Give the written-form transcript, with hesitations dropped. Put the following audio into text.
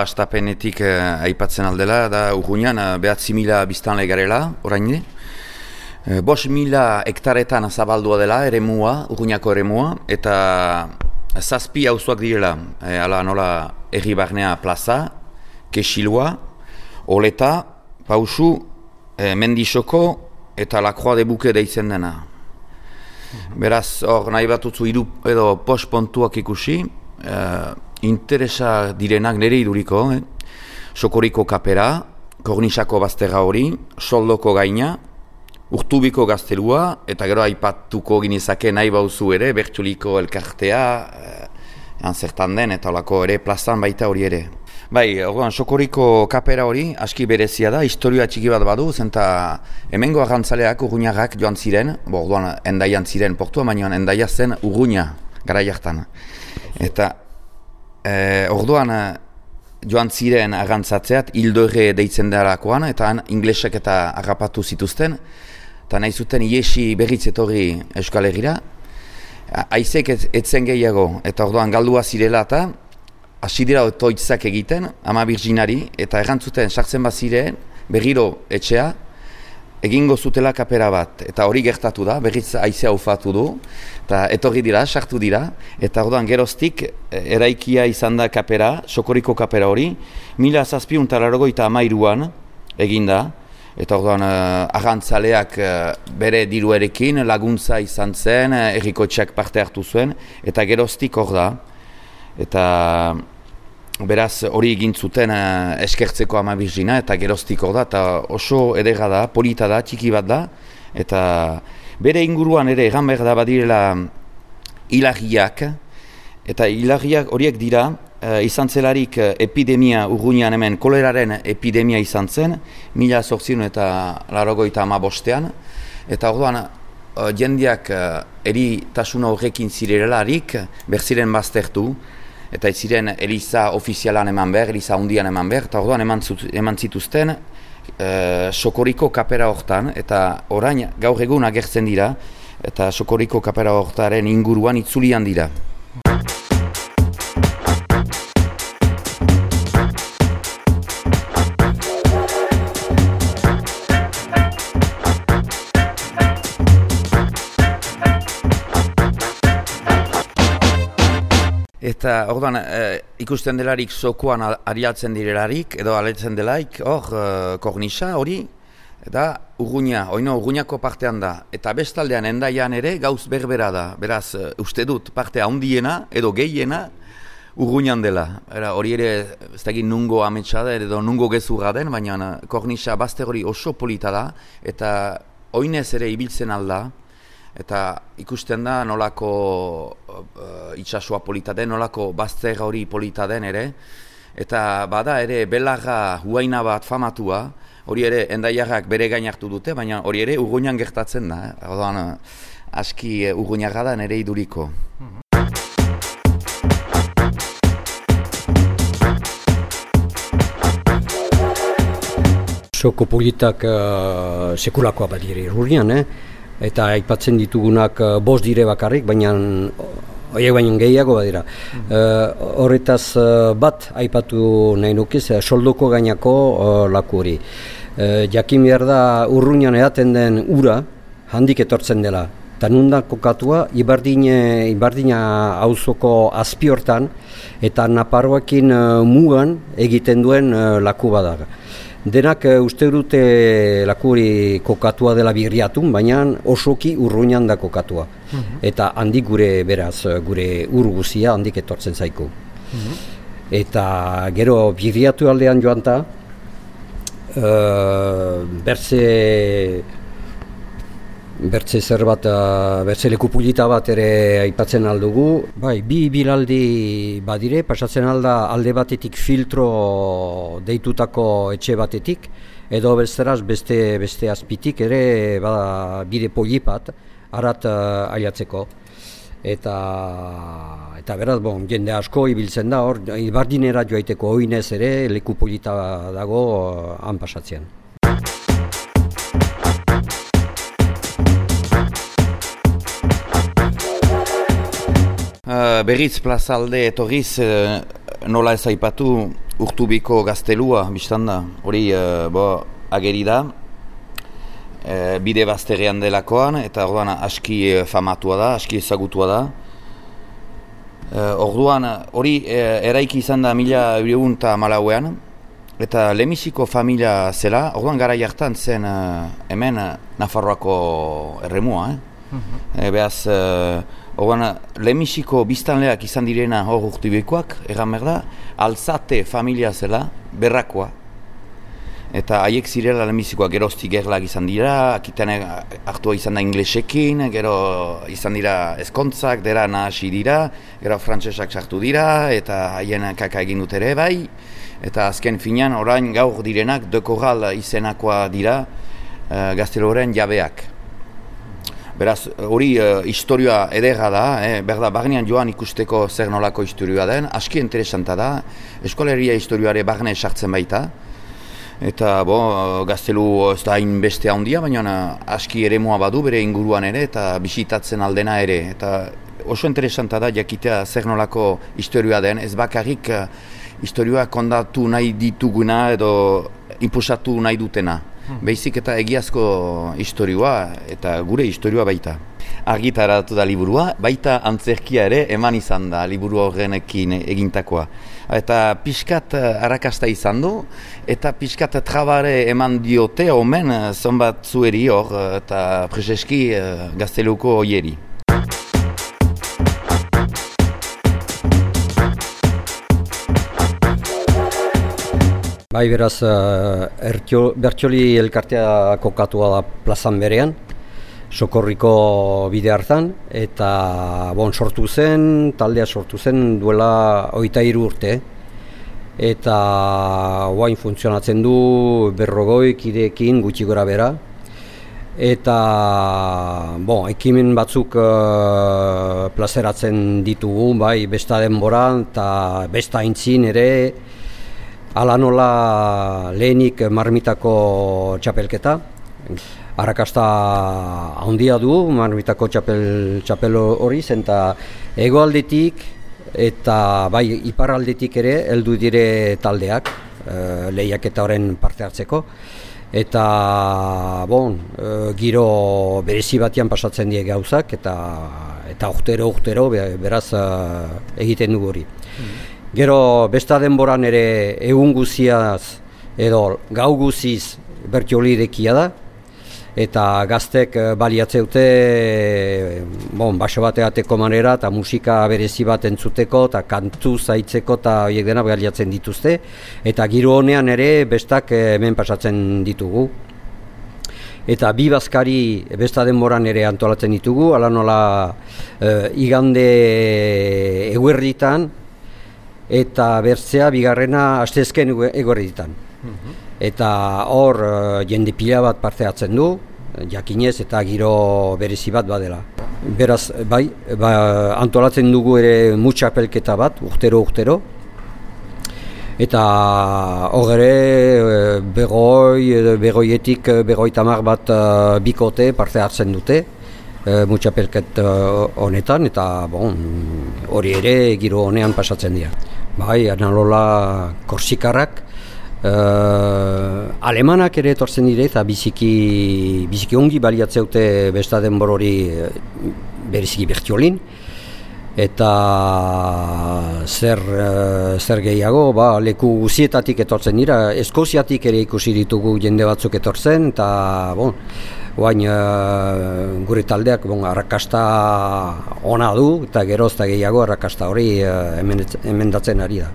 Astapenetik aipatzen aldela, da Urruñan 9.000 biztanle garela, orain. 5.000 hektaretan zabaldua dela, eremua, Urruñako eremua, eta 7 auzoak direla, ala nola Herri-Barnea plaza, Kexilua, Oleta, Pausu, Mendixoko eta La Croix de Buke deitzen dena. Beraz, hor nahi bat utzu hiru edo pospontuak ikusi, interesa direnak nire iduriko, Sokoriko kapera, Kornisako bazterra hori, Soldoko gaina, Urtubiko gaztelua, eta gero aipatuko ginezake nahi bauzu ere, Bertsuliko elkartea, zertan den, eta olako ere plazan baita hori ere. Bai, orduan, Sokoriko kapera hori, aski berezia da, historia txiki bat badu, zenta hemengo arrantzaleak Urruñarrak joan ziren, orduan Endaian ziren portua, baina Endaia zen Urruña, garai hartan. Eta orduan joan ziren arrantzatzeat, Hildorre deitzen darakoan, eta han inglesek eta harrapatu zituzten, eta nahi zuten iesi berriz etorri Euskal Herrira, haizek etzen gehiago, eta orduan galdua zirela eta hasi dira otoitzak egiten, Ama Birjinari, eta errantzuten sartzen baziren, berriro etxea, egingo zutela kapera bat, eta hori gertatu da, berriz haizea ufatu du, eta etorri dira, sartu dira, eta orduan geroztik eraikia izan da kapera, Sokoriko kapera hori, 1793an eginda, eta orduan arrantzaleak bere diruarekin laguntza izan zen, herrikotxeak parte hartu zuen, eta geroztik hor da, eta beraz hori egin zuten eskertzeko Ama Birjina, eta geroztik hor da, eta oso edera da, polita da, txiki bat da, eta bere inguruan ere egan behar da badirela hilarriak, eta hilarriak horiek dira, izan zelarik epidemia Urruñan hemen koleraren epidemia izan zen, 1895, eta orduan jendeak eritasuna horrekin zirelarik berziren baztertu, eta ez ziren eliza ofizialan eman behar, eliza hundian eman behar, eta orduan eman zituzten Sokoriko kapera hortan, eta orain gaur egun agertzen dira, eta Sokoriko kapera hortaren inguruan itzulian dira. Eta orduan ikusten delarik zokoan ariatzen direlarik, edo aletzen delaik, hor Kornisa hori, eta Urruña, oino Urruñako partean da. Eta bestaldean Endaian ere gauz berbera da. Beraz, uste dut parte handiena edo gehiena Urruñan dela. Hori ere, ez dakit nungo ametsa da, edo nungo gezurra den, baina Kornisa bazter hori oso polita da, eta oinez ere ibiltzen alda, eta ikusten da nolako itsasoa polita den, nolako bazter hori polita den ere, eta bada ere belarra huaina bat famatua, hori ere Endaiarrak bere gain hartu dute, baina hori ere Urruñan gertatzen da, orduan aski Urruñarra da nere iduriko. Soko politak sekulakoa badire Urruñan, eta aipatzen ditugunak 5 dire bakarrik, baina horiek baino gehiago badira. Horretaz bat aipatu nahi nukiz, Soldoko gainako laku hori. Jakin behar da Urruñan edaten den ura handik etortzen dela. Eta nundan kokatua Ibardina auzoko azpiortan eta Naparroakin mugan egiten duen laku bada. Denak uste dute laku hori kokatua dela Birriatun, baina osoki Urruñan da kokatua. Eta handik gure beraz, gure ur guzia handik etortzen zaiku. Eta gero Birriatu aldean joan ta, bertze zer bat, bertze lekupulita bat ere aipatzen aldugu. Bai, 2 bilaldi badire, pasatzen alde batetik filtro deitutako etxe batetik, edo besteraz beste azpitik ere bada bide polipat arat aiatzeko. Eta beraz, jende asko ibiltzen da, hor, Ibardinera joaiteko oinez ere lekupolita dago han pasatzean. Berriz plazalde etorriz nola ez aipatu Urtubiko gaztelua, biztan da, hori ageri da, bide bazterrean delakoan, eta orduan aski famatua da, aski ezagutua da. Orduan hori eraiki izan da 1914 eta lehenbiziko familia zela, orduan gara jartan zen hemen Nafarroako erremua. Beaz, orduan lehenbiziko biztanleak izan direna hor Urtubikoak, egan behar da, Alzate familia zela, berrakoa. Eta haiek zirela lehenbizikoak geroztik gerlak izan dira, akitan hartua izan da inglesekin, gero izan dira ezkontzak, dera nahasi dira, gero frantsesak sartu dira, eta haien kaka egin dut ere bai, eta azken finean orain gaur direnak De Corral izenakoa dira gazteloren jabeak. Beraz, hori historioa ederra da, berda, barnean joan ikusteko zer nolako historioa den, aski interesanta da, eskoleria historioare barne sartzen baita, eta gaztelu ez da hain beste handia, baina aski eremua badu bere inguruan ere eta bisitatzen aldena ere. Eta oso interesanta da jakitea zer nolako historioa den, ez bakarrik historioa kondatu nahi dituguna edo inposatu nahi dutena. Beizik eta egiazko historioa eta gure historioa baita. Argitaratu da liburua, baita antzerkia ere eman izan da liburu horrenekin egintakoa. Eta pixkat arrakasta izan du, eta pixkat trabare eman diote omen zonbat zueri hor eta preseski gazteluko oieri. Bai, beraz, Bertioli elkartea kokatua da plazan berean, Sokorriko bide hartan, eta sortu zen, taldea sortu zen duela 23 urte. Eta oain funtzionatzen du 40 kideekin gutxi gora bera. Eta ekimen batzuk plazeratzen ditugu, bai, besta denboran eta besta aintzin ere, hala nola lehenik Marmitako txapelketa. Arrakasta handia du Marmitako txapel hori zen, eta hegoaldetik eta bai iparraldetik ere heldu dire taldeak lehiaketa horren parte hartzeko. Eta giro berezi batean pasatzen die gauzak eta urtero beraz egiten dugu hori. Gero besta denboran ere egun guziaz edo gau guziz Bertioli irekia da, eta gaztek baliatzeute baso bateateko manera eta musika berezi bat entzuteko eta kantu zaitzeko eta horiek dena baliatzen dituzte, eta giro honean ere bestak hemen pasatzen ditugu. Eta bi bazkari besta denboran ere antolatzen ditugu, hala nola igande eguerditan eta bertzea bigarrena asteazken eguerditan. Eta hor jende pila bat parte hartzen du, jakinez eta giro berezi bat badela. Beraz, bai, antolatzen dugu ere mutxapelketa bat, urtero. Eta hor ere begoietik 50 bat bikote parte hartzen dute mutxapelket honetan, eta hori ere giro honean pasatzen dira. Bai, analola korsikarrak, alemanak ere etortzen dire eta biziki ongi baliatzeute besta denbor hori bereziki Bertiolin. Eta zer gehiago, leku guzietatik etortzen dira, Eskoziatik ere ikusi ditugu jende batzuk etortzen, eta gure taldeak arrakasta ona du, eta geroz eta gehiago arrakasta hori emendatzen ari da.